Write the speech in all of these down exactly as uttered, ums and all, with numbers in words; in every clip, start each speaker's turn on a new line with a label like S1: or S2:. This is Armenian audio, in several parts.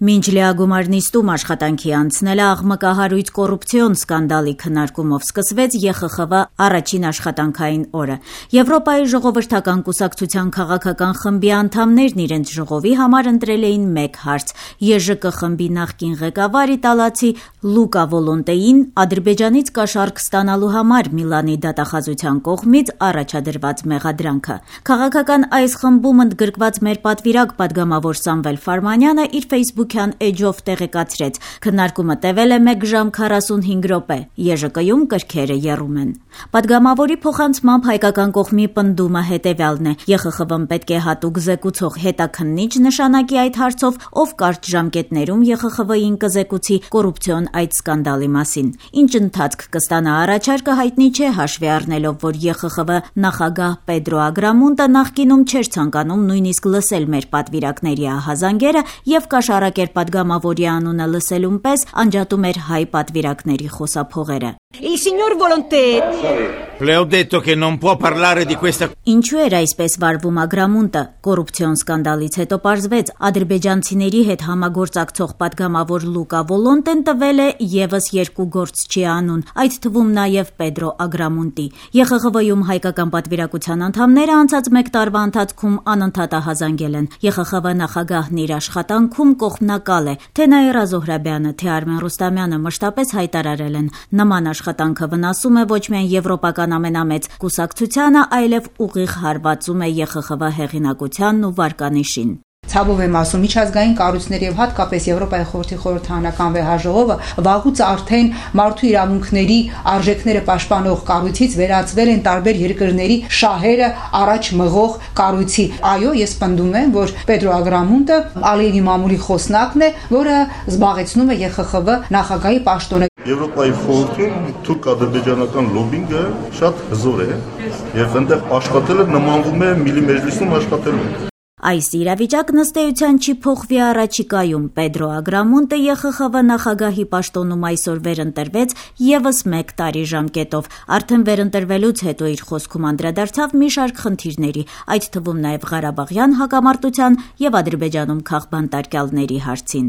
S1: Մինչ լիագումար նիստում աշխատանքի անցնելը աղմկահարույց կոռուպցիոն սկանդալի քննարկումով սկսվեց Ե Խ Խ Վ առաջին աշխատանքային օրը։ Եվրոպայի ժողովրդական կուսակցության քաղաքական խմբի անդամներն իրենց ժողովի համար ընտրել էին մեկ հարց՝ Ե Ժ Կ խմբի նախկին ղեկավար իտալացի Լուկա Վոլոնտեին Ադրբեջանից կաշառք ստանալու համար Միլանի դատախազության կողմից առաջադրված մեղադրանքը։ Քաղաքական այս խմբում ընդգրկված մեր պատվիրակ պատգամավոր Սամվել Ֆարմանյանը իր Facebook-յան էջով տեղեկացրեց. քննարկումը տևել է մեկ ժամ քառասունհինգ րոպե, Ե Ժ Կ-ում կրքերը եռում են։ Պատգամավորի փոխանցմամբ հայկական կողմի պնդումը հետևյալն է. Ե Խ Խ Վ-ն պետք է հատուկ զեկուցող հետաքննիչ նշանակի այդ հարցով, ով կարճ ժամկետներում Ե Խ Խ Վ-ին կզեկուցի կոռուպցիոն այդ սկանդալի մասին։ Ինչ ընթացք կստանա առաջարկը հայտնի չէ, հաշվի առնելով, որ Ե Խ Խ Վ նախագահ Պեդրո Ագրամունտը նախկինում չէր ցանկանում նույնիսկ լսել մեր պատվիրակների ահազանգերը եւ կաշառակեր պատգամավորի անունը լսելուն պես անջատում էր հայ պատվիրակների խոսափողերը։
S2: Il signor Volonté.
S3: Le ho detto che non può parlare di questa.
S1: Ինչու էր այսպես վարվում Ագրամունտը։ Կոռուպցիոն սկանդալից հետո պարզվեց, ադրբեջանցիների հետ համագործակցող պատգամավոր Լուկա Վոլոնտեն տվել է եւս երկու գործչի անուն, այդ թվում նաեւ Պեդրո Ագրամունտի։ Ե Խ Խ Վ-ում հայկական պատվիրակության անդամները անցած մեկ տարվա ընթացքում անընդհատ ահազանգել են։ Ե Խ Խ Վ նախագահն իր աշխատանքում կողմնակալ է, թե Նաիրա Զոհրաբյանը, թե Արմեն Ռուստամյանը մշտապես հայտարարել են, նման աշխատանքը վնասում է ոչ միայն եվրոպական ամենամեծ կուսակցությանը, այլև ուղիղ հարվածում է Ե Խ Խ Վ հեղինակությանն ու վարկանիշին։
S4: Ցավով եմ ասում, միջազգային կառույցներ եւ հատկապես Եվրոպայի խորհրդի խորհրդարանական վեհաժողովը վաղուց արդեն մարդու իրավունքների արժեքները պաշտպանող կառույցից վերածվել են տարբեր երկրների շահերը առաջ մղող կառույցի։ Այո, ես պնդում եմ, որ Պեդրո Ագրամունտը Ալիևի մամուլի խոսնակն է, որը զբաղեցնում է Ե Խ Խ Վ նախագահի պաշտոնը։
S5: Եվրոպայի խորհրդում թուրք-ադրբեջանական լոբինգը շատ հզոր է եւ այնտեղ աշխատելը նմանվում է Միլի մեջլիսում աշխատելուն։
S1: Այս իրավիճակն ըստ էության չի փոխվի առաջիկայում։ Պեդրո Ագրամունտը Ե Խ Խ Վ նախագահի պաշտոնում այսօր վերընտրվեց եւս մեկ տարի ժամկետով։ Արդեն վերընտրվելուց հետո իր խոսքում անդրադարձավ մի շարք խնդիրների, այդ թվում նաեւ Ղարաբաղյան հակամարտության եւ Ադրբեջանում քաղբանտարկյալների հարցին։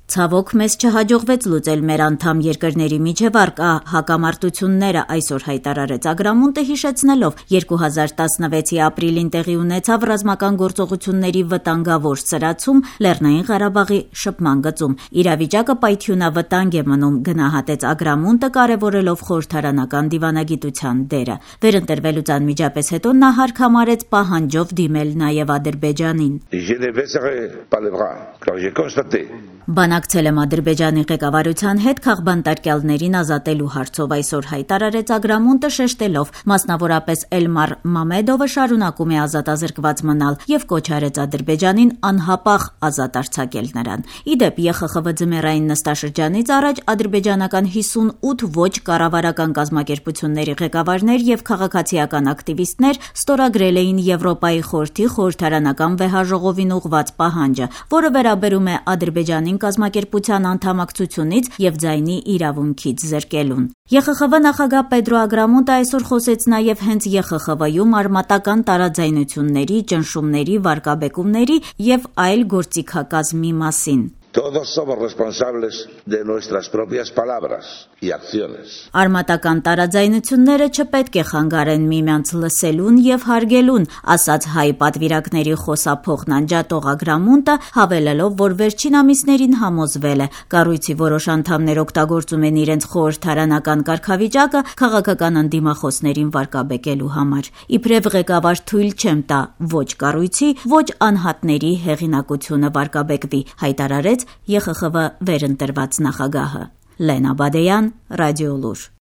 S1: Ցավոք մեզ չհաջողվեց լուծել մեր անդամ երկրների միջև առկա հակամարտությունները, այսօր հայտարարեց Ագրամունտը, հիշեցնելով երկու հազար տասնվեցի ապրիլին տեղի ունեցավ ռազմական գործողությունների վտանգավոր սրացում Լեռնային Ղարաբաղի շփման գծում։ Իրավիճակը պայթյունավտանգ է մնում, գնահատեց Ագրամունտը, կարևորելով խորհրդարանական դիվանագիտության դերը։ Վերընտրվելուց անմիջապես հետո նա հարկ համարեց պահանջով դիմել նաև Ադրբեջանին։ Բանակցել եմ Ադրբեջանի ղեկավարության հետ քաղբանտարկյալներին ազատելու հարցով, այսօր հայտարարեց Ագրամունտը, շեշտելով, մասնավորապես Էլմար Մամեդովը շարունակում է ազատազրկված մնալ եւ կոչ արեց Ադրբեջանին անհապաղ ազատ արձակել նրան։ Իդեպ Ե Խ Խ Վ ձմեռային նստաշրջանից առաջ ադրբեջանական հիսունութ ոչ կառավարական կազմակերպությունների ղեկավարներ եւ քաղաքացիական ակտիվիստներ ստորագրել էին Եվրոպայի խորհրդի խորհրդարանական վեհաժողովին ուղղված պահանջը, որը վերաբերում է Ադրբեջանին կազմակերպության անդամակցությունից եւ ձայնի իրավունքից զրկելուն։ Ե Խ Խ Վ նախագահ Պեդրո Ագրամունտը այսօր խոսեց նաեւ հենց Ե Խ Խ Վ-ում արմատական տարաձայնությունների, ճնշումների, վարկաբեկումների եւ այլ գործիքակազմի մասին։
S6: Todos somos responsables de nuestras propias palabras y acciones.
S1: Արմատական տարաձայնությունները չպետք է խանգարեն միմյանց լսելուն եւ հարգելուն, ասաց հայ պատվիրակների խոսափողն անջատող Ագրամունտը, հավելելով, որ վերջին ամիսներին համոզվել է, կառույցի որոշ անդամներ օգտագործում են իրենց խորհրդարանական կարգավիճակը քաղաքական ընդդիմախոսներին վարկաբեկելու համար։ Իբրև ղեկավար թույլ չեմ տա ոչ կառույցի, ոչ անհատների հեղինակությունը վարկաբեկվի, հայտարարեց Ե Խ Խ Վ վերընտրված նախագահը։ Լենա Բադեյան, Ռադիոլուր։